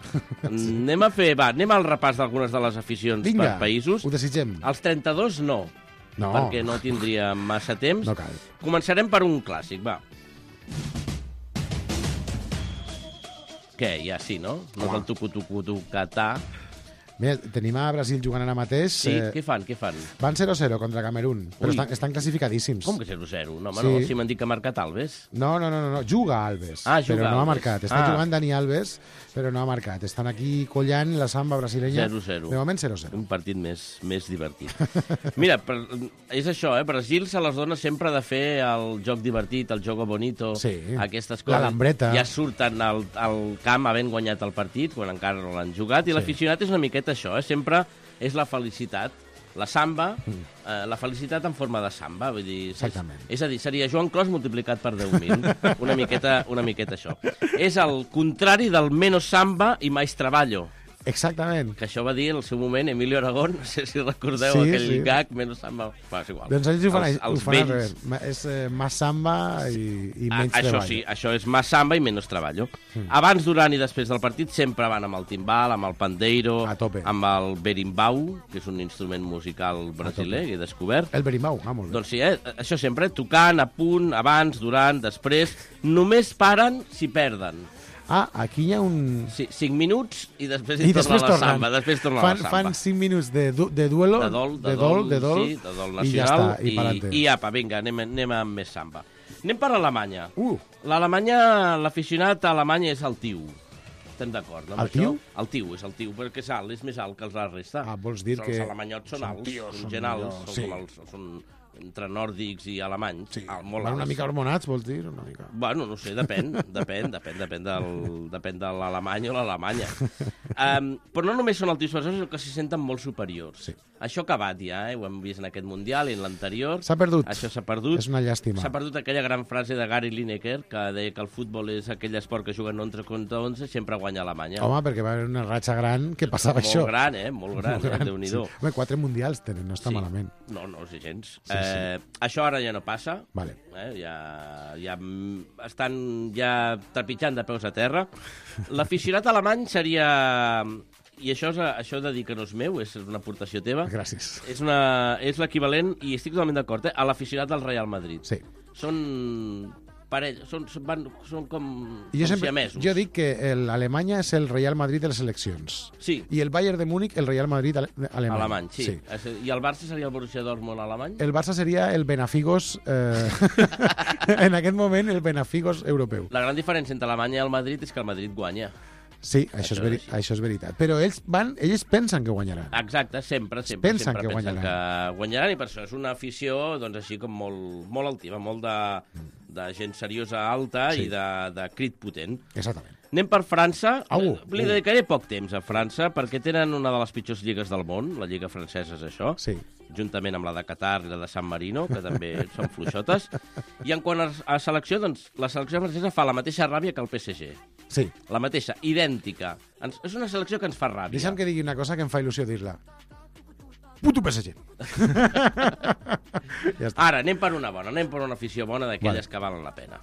Anem a fer, va, anem al repàs d'algunes de les aficions Vinga, per països. ho desitgem. Els trenta-dos no, No. perquè no tindríem massa temps. No cal. Començarem per un clàssic, va. Què, ja sí, no? No és el tucu-tucu-tucatà. Mira, tenim a Brasil jugant ara mateix. Sí, eh, què fan, què fan? Van zero a zero contra Camerún, però Ui. estan, estan classificadíssims. Com que zero a zero? No, home, Sí. no, si m'han dit que ha marcat Alves. No, no, no, no, no. Juga Alves, Ah, juga però no ha Alves. marcat. Està Ah. jugant Dani Alves, però no ha marcat. Estan aquí collant la samba brasilenya. zero a zero. De moment zero a zero. Un partit més, més divertit. Mira, per, és això, eh? Brasil se les dona sempre de fer el joc divertit, el jogo bonito, Sí. aquestes coses. La lambreta. Ja surten al, al camp havent guanyat el partit, quan encara no l'han jugat, i Sí. l'aficionat és una miqueta això, eh? Sempre és la felicitat. La samba, Mm. eh, la felicitat en forma de samba, vull dir... És, Exactament. és a dir, seria Joan Clos multiplicat per deu mil. Una miqueta, una miqueta això. És el contrari del menos samba i mais traballo. Exactament. Que això va dir en el seu moment Emilio Aragón, no sé si recordeu Sí, aquell sí. gag, menos samba... Va, és igual. Doncs ells ho fan, els, ho els fan al vells... revés. Ma- És eh, més samba i, i Ah, menys això treball. sí, això és més samba i menys treballo. Mm. Abans, durant i després del partit sempre van amb el timbal, amb el pandeiro, A tope. amb el berimbau, que és un instrument musical brasiler que he descobert. El berimbau, ah, molt bé. Doncs sí, eh? Això sempre, tocant, a punt, abans, durant, després... Només paren si perden. Ah, aquí hi ha un... Sí, cinc minuts i després I hi torna després la tornen. samba. Després torna fan, la samba. Fan cinc minuts de, du de duelo, de dol, de, de dol, de dol, sí, de dol i ja nacional, està, i, i, pa'lante. i apa, vinga, anem, anem amb més samba. Anem per Alemanya. Uh. L'Alemanya, l'aficionat a Alemanya és el tiu. Estem d'acord, no? amb El tiu? això? El tiu, és el tiu, perquè és alt, és més alt que els la resta. Ah, vols dir Els que... alemanyots són són alts, tios, són són gent alts, millors, són, sí. com els, són entre nòrdics i alemanys. Sí, alt, molt van una alts. mica hormonats, vols dir? Una mica. Bueno, no sé, depèn, depèn, depèn, depèn, del, depèn de l'Alemanya o l'Alemanya. Um, però no només són altius persones, sinó que s'hi senten molt superiors. Sí. Això ha acabat ja, eh? Ho hem vist en aquest Mundial i en l'anterior. S'ha perdut. Això s'ha perdut. És una llàstima. S'ha perdut aquella gran frase de Gary Lineker, que deia que el futbol és aquell esport que juguen onze contra onze, sempre guanya Alemanya. Home, perquè va haver una ratxa gran que passava molt això. Molt gran, eh? Molt gran, Molt eh? gran, Déu-n'hi-do. sí. Home, quatre mundials tenen, no està Sí. malament. No, no, sí, gens. Sí, eh, sí. Això ara ja no passa. Vale. Eh, ja, ja mm, estan ja trepitjant de peus a terra. L'aficionat alemany seria... I això, és, això de dir que no és meu, és una aportació teva. Gràcies. És, una, és l'equivalent, i estic totalment d'acord, eh, a l'aficionat del Real Madrid. Sí. Són parell, són, són, van, són com, I jo, com sempre, siamesos. jo dic que l'Alemanya és el Real Madrid de les eleccions. Sí. I el Bayern de Múnich, el Real Madrid ale alemany. Alemany, sí. sí. I el Barça seria el Borussia Dortmund alemany? El Barça seria el Benafigos... Eh, en aquest moment, el Benafigos europeu. La gran diferència entre Alemanya i el Madrid és que el Madrid guanya. Sí, això, això, és, veri això és veritat. Però ells van, ells pensen que guanyaran. Exacte, sempre, sempre. Pensen sempre que pensen guanyaran. que guanyaran i per això és una afició doncs, així com molt, molt altiva, molt de, de gent seriosa alta Sí. i de, de crit potent. Exactament. Anem per França. Au, Li au. dedicaré poc temps a França perquè tenen una de les pitjors lligues del món, la lliga francesa és això, Sí. juntament amb la de Qatar i la de San Marino, que també són fluixotes. I en quant a, a selecció, doncs, la selecció francesa fa la mateixa ràbia que el P S G. Sí. La mateixa, idèntica. Ens, és una selecció que ens fa ràbia. Deixa'm que digui una cosa que em fa il·lusió dir-la. Puto P S G. Ja està. Ara, anem per una bona, anem per una afició bona d'aquelles Vale. que valen la pena.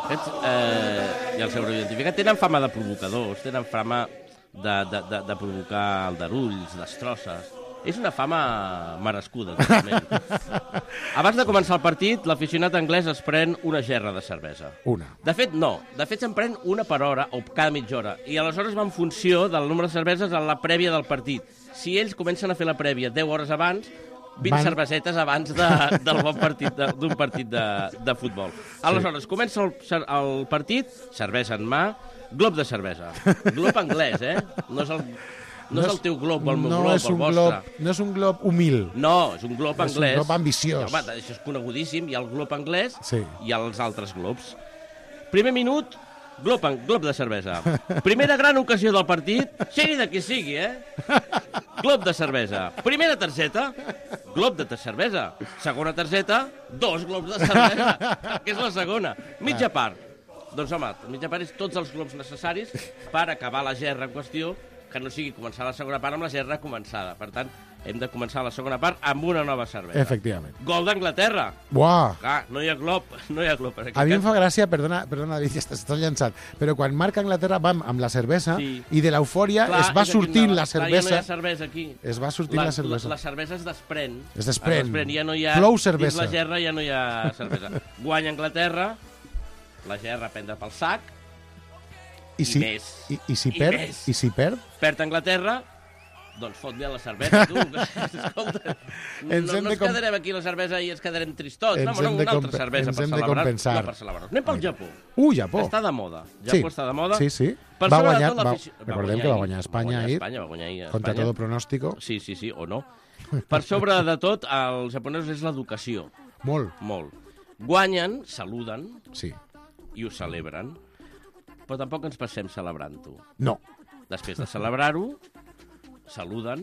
Aquests, eh, ja els haureu identificat, tenen fama de provocadors, tenen fama de, de, de, de provocar aldarulls, destrosses. És una fama merescuda, totalment. Abans de començar el partit, l'aficionat anglès es pren una gerra de cervesa. Una. De fet, no. De fet, se'n pren una per hora o cada mitja hora. I aleshores va en funció del número de cerveses a la prèvia del partit. Si ells comencen a fer la prèvia deu hores abans, vint Van- cervesetes abans de, del bon partit de- d'un partit de, de futbol. Aleshores, comença el, cer- el partit, cervesa en mà, glob de cervesa. Glob anglès, eh? No és el, no és el teu glob o el meu no glob és o el un vostre. glob, no és un glob humil. No, és un glob És un anglès. glob ambiciós. Home, això és conegudíssim. Hi ha el glob anglès Sí. i els altres globs. Primer minut, Glob, glob de cervesa. Primera gran ocasió del partit, sigui de qui sigui, eh? Glob de cervesa. Primera targeta, glob de cervesa. Segona targeta, dos globs de cervesa, que és la segona. Mitja part. Doncs home, mitja part és tots els globs necessaris per acabar la gerra en qüestió, que no sigui començar la segona part amb la gerra començada. Per tant, hem de començar la segona part amb una nova cervesa. Efectivament. Gol d'Anglaterra. Buah! Clar, no hi ha glob, no hi ha glob. A mi em fa gràcia, perdona, perdona David, ja estàs, estàs llançat, però quan marca Anglaterra vam amb la cervesa sí. i de l'eufòria es va sortint la cervesa. Clar, ja no hi ha cervesa aquí. Es va sortint la, la cervesa. La, la cervesa es desprèn. Es desprèn. Es desprèn. Ja no hi ha, Flou cervesa. Dins la gerra ja no hi ha cervesa. Guanya Anglaterra, la gerra prendre pel sac, I, si, i més. I, i, si I perd, més. I si perd? Perd Anglaterra, doncs fot-li a la cervesa, tu. Escolta, no, no ens quedarem aquí la cervesa i ens quedarem tristots. Ens no, hem una de altra cervesa per celebrar. No, per celebrar. Anem pel Japó. Uh, Japó. Està de moda. Japó sí. està de moda. Sí, sí. Per va guanyar, va, recordem que va guanyar Espanya ahir. Espanya, va guanyar ahir contra todo pronòstico. Sí, sí, sí, o no. Per sobre de tot, els japonesos és l'educació. Molt. Molt. Guanyen, saluden sí. i ho celebren. Però tampoc ens passem celebrant-ho. No. Després de celebrar-ho, saluden,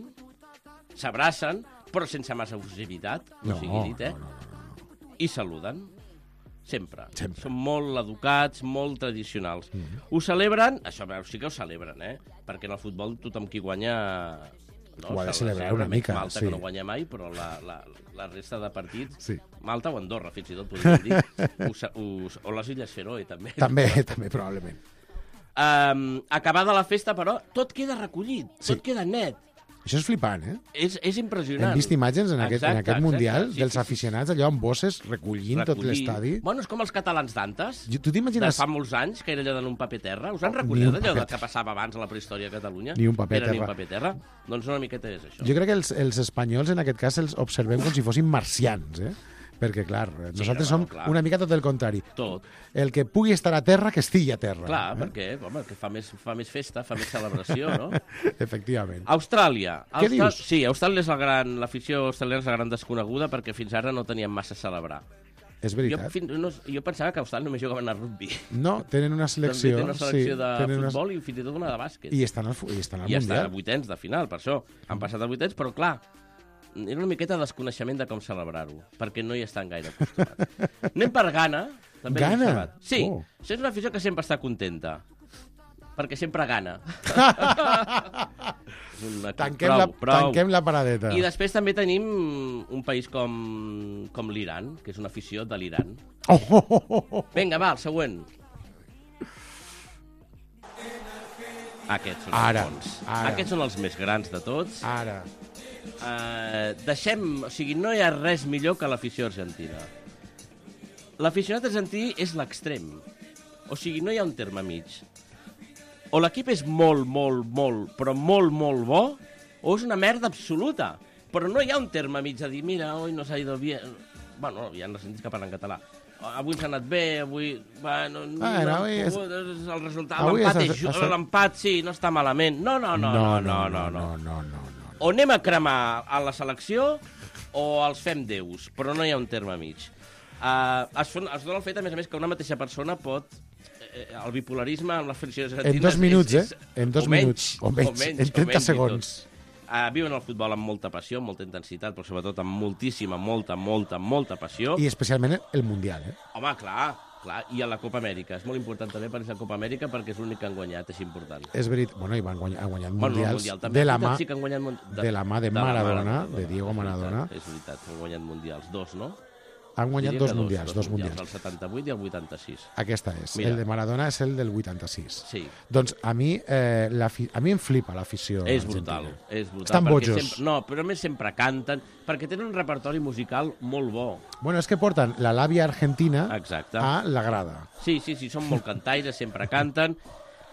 s'abracen, però sense massa efusivitat, no, no sigui dit, eh? No, no, no. I saluden. Sempre. Sempre. Són molt educats, molt tradicionals. Mm -hmm. Ho celebren, això sí que ho celebren, eh? Perquè en el futbol tothom qui guanya... No, ho ha de celebrar una mica. Malta, sí. que no guanya mai, però la, la, la resta de partits... Sí. Malta o Andorra, fins i tot, podríem dir. us, us, o les Illes Feroe, també. També, també, probablement. Um, acabada la festa, però, tot queda recollit, sí. tot queda net. Això és flipant, eh? És, és impressionant. Hem vist imatges en aquest, exacte, en aquest Mundial exacte, sí, dels sí, aficionats allò amb bosses recollint Recollir. tot l'estadi. Bueno, és com els catalans d'antes. Tu t'imagines... De fa molts anys, que era allò en un paper terra. Us han recollit allò paper... que passava abans a la prehistòria a Catalunya? Ni un paper era terra. Ni un paper terra. Doncs una miqueta és això. Jo crec que els, els espanyols, en aquest cas, els observem com si fossin marcians, eh? Perquè, clar, nosaltres sí, no, som clar. una mica tot el contrari. Tot. El que pugui estar a terra, que estigui a terra. Clar, eh? perquè home, que fa, més, fa més festa, fa més celebració, no? Efectivament. Austràlia. Què Austral... dius? Sí, Austràlia és la gran... L'afició australiana és la gran desconeguda perquè fins ara no teníem massa a celebrar. És veritat. Jo, fins, no, jo pensava que a Austràlia només jugaven a rugby. No, tenen una selecció. També tenen una selecció sí, de futbol una... i fins i tot una de bàsquet. I estan al, i estan al I Mundial. estan a vuitens de final, per això. Han passat a vuitens, però clar, era una miqueta de desconeixement de com celebrar-ho, perquè no hi estan gaire acostumats. Anem per Ghana. També Ghana? Sí, oh. això és una afició que sempre està contenta, perquè sempre gana. una... tanquem, prou, la, prou. tanquem la paradeta. I després també tenim un país com, com l'Iran, que és una afició de l'Iran. Oh, oh, oh, oh. Vinga, va, el següent. Aquests són ara, els bons. ara. Aquests són els més grans de tots. Ara. Uh, deixem... O sigui, no hi ha res millor que l'afició argentina. L'aficionat argentí és l'extrem. O sigui, no hi ha un terme mig. O l'equip és molt, molt, molt, però molt, molt bo, o és una merda absoluta. Però no hi ha un terme mig de dir, mira, hoy no s'ha ido bien... Bueno, hi ha argentins que parlen català. Avui s'ha anat bé, avui... Bueno, ah, no, no, és... el resultat, l'empat és, és... l'empat sí, no està malament. No, no, no, no, no, no, no, no, no, no. O anem a cremar a la selecció o els fem déus, però no hi ha un terme mig. Uh, es, es dona el fet, a més a més, que una mateixa persona pot... Eh, el bipolarisme amb les friccions argentines... En dos minuts, és, és, eh? En dos o minuts. Menys, o menys, o menys en trenta segons. Uh, viuen el futbol amb molta passió, amb molta intensitat, però sobretot amb moltíssima, molta, molta, molta passió. I especialment el Mundial, eh? Home, clar, clar. I a la Copa Amèrica. És molt important també per la Copa Amèrica perquè és l'únic que han guanyat, és important. És veritat. Bueno, i van guanyar, han guanyat bueno, mundials mundial, també. de, la mà, sí que han guanyat de, de la mà de, de Maradona, Maradona, de Diego Maradona. És veritat, és veritat, han guanyat mundials. Dos, no? Han guanyat dos, dos mundials, dos, dos mundials. El setanta-vuit i el vuitanta-sis. Aquesta és. Mira. El de Maradona és el del vuitanta-sis. Sí. Doncs a mi, eh, a mi em flipa l'afició És argentina. brutal, és brutal. Estan bojos. Sempre, no, però a més sempre canten, perquè tenen un repertori musical molt bo. Bueno, és que porten la làbia argentina Exacte. a la grada. Sí, sí, sí, són molt cantaires, sempre canten.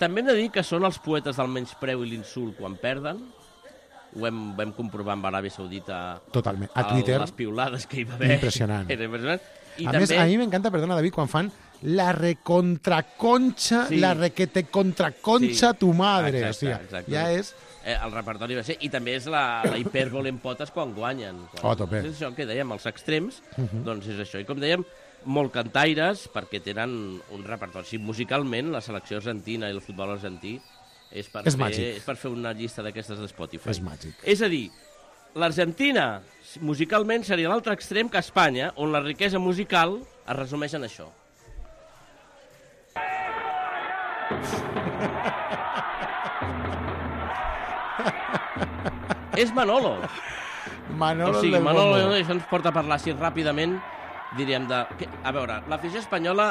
També hem de dir que són els poetes del menyspreu i l'insult quan perden. Ho hem, vam comprovar amb Aràbia Saudita. Totalment. A Twitter. Les piulades que hi va haver. Impressionant. Era impressionant. I a també... més, a mi m'encanta, perdona, David, quan fan la recontraconcha, sí. la requete contraconcha sí. tu madre. Exacte, o sigui, exacte. ja és... Eh, el repertori va ser... I també és la, la hipèrbole en potes quan guanyen. Quan... Oh, tope. És això que dèiem, els extrems, uh -huh. doncs és això. I com dèiem, molt cantaires, perquè tenen un repertori. Sí, musicalment, la selecció argentina i el futbol argentí és per, és fer, màgic. és per fer una llista d'aquestes de Spotify. És màgic. És a dir, l'Argentina musicalment seria l'altre extrem que Espanya, on la riquesa musical es resumeix en això. És Manolo. Manolo o sigui, del Manolo, bombo. això ens porta a parlar així ràpidament, diríem de... Que, a veure, l'afició espanyola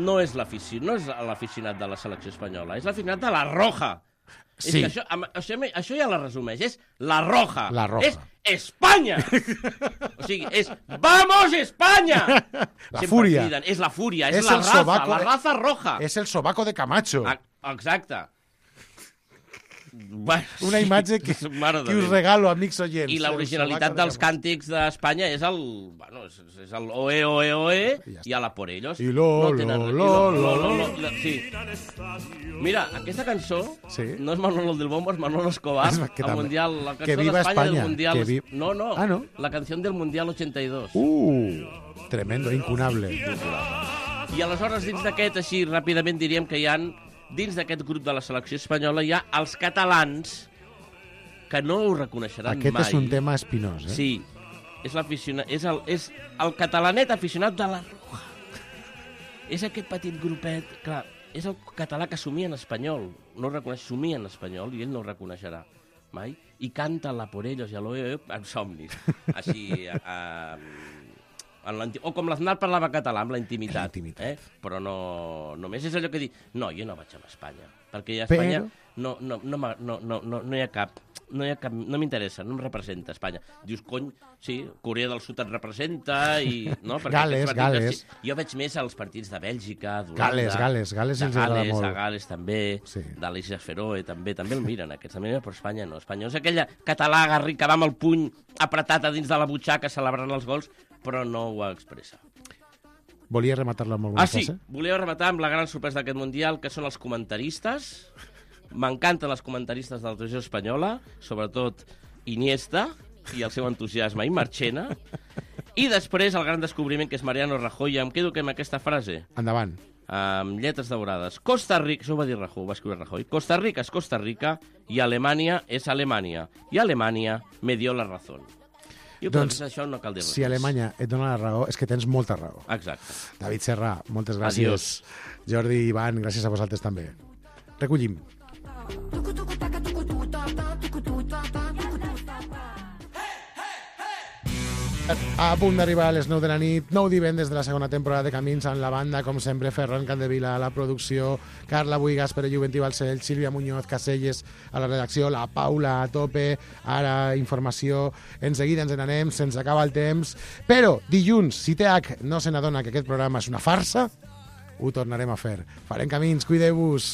no és l'afició, no és l'aficionat de la selecció espanyola, és l'aficionat de la Roja. Sí. És que això, això, això ja la resumeix, és la Roja. La Roja. És Espanya! O sigui, és ¡Vamos, Espanya! La Sempre fúria. Criden, és la fúria, és, És la el raza, sobaco la de- raza roja. És el sobaco de Camacho. Ah, exacte. Bueno, Una imatge que, Mare de que us Déu. regalo, amics oients. I l'originalitat El dels sobaco de càntics d'Espanya és el... Bueno, és, és el oe, oe, oe, i a la por ellos. I lo, no tenen lo, res- lo, i lo, lo, lo. lo, Sí. Mira, aquesta cançó Sí. no és Manolo del Bombo, és Manolo Escobar, És que el també. Mundial, la cançó Que viva d'Espanya Espanya, del Mundial. que vi- No, no, Ah, no? la canció del Mundial ochenta y dos. Uh, tremendo, incunable. I aleshores, dins d'aquest, així, ràpidament diríem que hi han, dins d'aquest grup de la selecció espanyola, hi ha els catalans que no ho reconeixeran Aquest mai. és un tema espinós, eh? Sí, és, l'aficionat, és, el, és el catalanet aficionat de la Roja. És aquest petit grupet, clar, és el català que somia en espanyol, no ho reconeix, somia en espanyol i ell no ho reconeixerà mai, i canta la por ellos i a l'oe en somnis, així, a, en la, o com l'Aznar parlava català, amb la intimitat, eh? Però no, només és allò que dir, no, jo no vaig a Espanya, perquè a Espanya Però- no, no, no, m'ha- no, no, no, no hi ha cap, no hi ha cap, no m'interessa, no em representa Espanya. Dius, cony, sí, Corea del Sud et representa i... No, perquè Gales, aquests partits, Gales. sí, jo veig més els partits de Bèlgica, d'Holanda... Gales, Gales, Gales de ens agrada Gales, molt. de Gales també, sí. De l'Isla Feroe també, també el miren aquests, també, però Espanya no. Espanya és aquella català garri que va amb el puny apretat a dins de la butxaca celebrant els gols, però no ho expressa. Volia rematar-lo amb alguna Ah, sí, cosa? volia rematar amb la gran sorpresa d'aquest Mundial, que són els comentaristes. M'encanten els comentaristes de la televisió espanyola, sobretot Iniesta i el seu entusiasme, i Marchena. I després el gran descobriment, que és Mariano Rajoy. Em quedo amb aquesta frase. Endavant. Amb lletres daurades. Costa Rica, això ho va dir Rajoy, ho va escriure Rajoy. Costa Rica és Costa Rica i Alemanya és Alemanya. I Alemanya me dio la razón. Jo Doncs, doncs, això no cal dir res. Si Alemanya et dona la raó, és que tens molta raó. Exacte. David Serra, moltes gràcies. Adiós. Jordi, Ivan, gràcies a vosaltres també. Recollim. A punt d'arribar a les nou de la nit, nou divendres de la segona temporada de Camins en la banda, com sempre, Ferran Candevila a la producció, Carla Buigas, Pere Juventí Balcell, Sílvia Muñoz, Caselles a la redacció, la Paula a tope, ara informació, en seguida ens n'anem, se'ns acaba el temps, però dilluns, si T H no se n'adona que aquest programa és una farsa, ho tornarem a fer. Farem Camins, cuideu-vos!